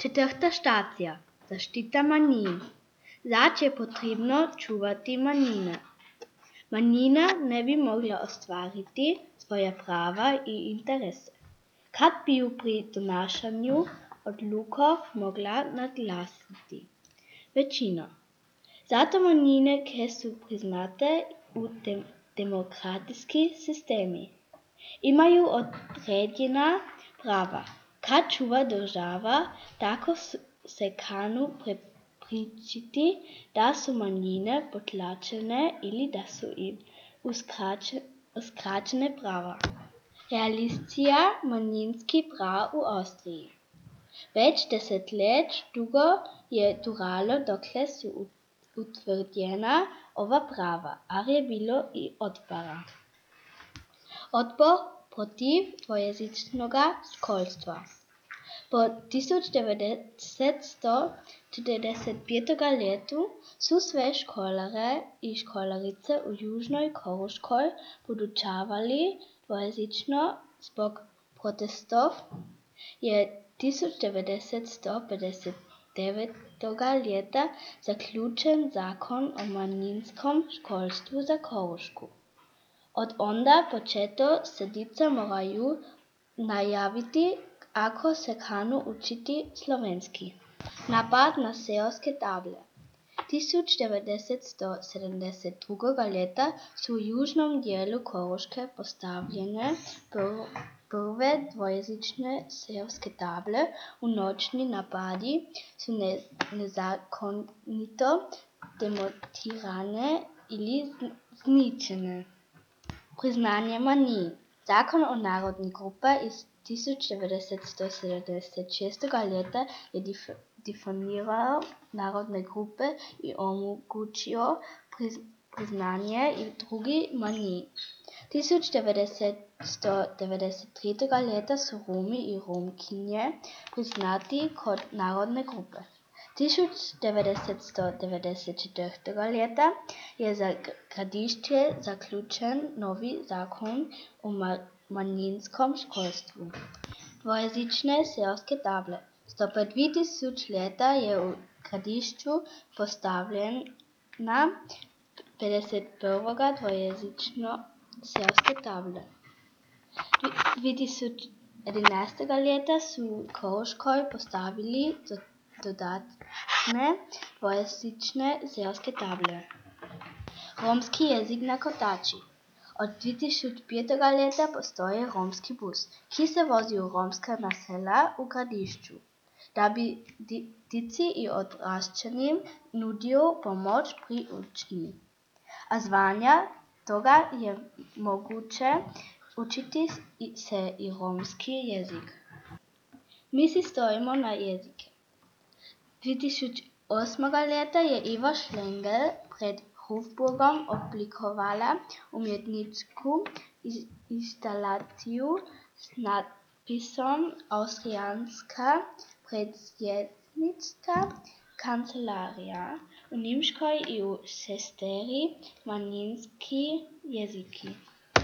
Четвърта стація – zaštita manjin. Zač je potrebno čuvati manjine. Manjina ne bi mogla ostvariti svoja prava i interese, kad bi ju pri donašanju odlukov mogla naglasiti većina. Zato manjine, ki su priznate u demokratski sistemi, imaju određena prava. Kad čuva država, tako se kanu prepričiti da su manjine potlačene ili da su im uskraćene prava. Realizacija manjinskih prava u Austriji. Već 10 let dugo je trajalo dokle su utvrđena ova prava, ali je bilo i otpora. Otpor protiv dvojezičnoga školstva. Po 1945. letu su sve školare i školarice u Južnoj Koruškoj podučavali dvojezično. Zbog protestov je 1959. leta zaključen zakon o manjinskom školstvu za Korušku. Od onda početo se djeca moraju najaviti ako se kanu učiti slovenski. Napad na seoske table. 1972. leta su u južnom dijelu Koruške postavljene prve dvojezične seoske table. U noćni napadi su nezakonito demontirane ili zničene. Priznanje manjin. Zakon o narodnih grupa iz 1976. leta je definirao narodne grupe i omogućio priznanje i drugih manjin. 1993. leta su Romi i Romkinje priznati kot narodne grupe. 1994. leta je za Gradišće zaključen novi zakon o manjinskom školstvu. Dvojezične seoske table. 105.000 leta je u Gradišću postavljena 51. dvojezična seoske table. 2011. leta su u Koruškoj postavili dodatne dvojezične seoske table. Romski jezik na Kotači. Od 2005. leta postoji romski bus, ki se vozi u romska naselja u Gradišću, da bi dici i odrašćenim nudio pomoć pri učenju. A zvanja toga je moguće učiti se i romski jezik. Mi si stojimo na jezike. 2008. leta je Eva Schlengel pred Hofburgom oblikovala umjetničku instalaciju s natpisom Austrijanska predsjednička kancelarija u Njemačkoj i u 6 manjinski jeziki.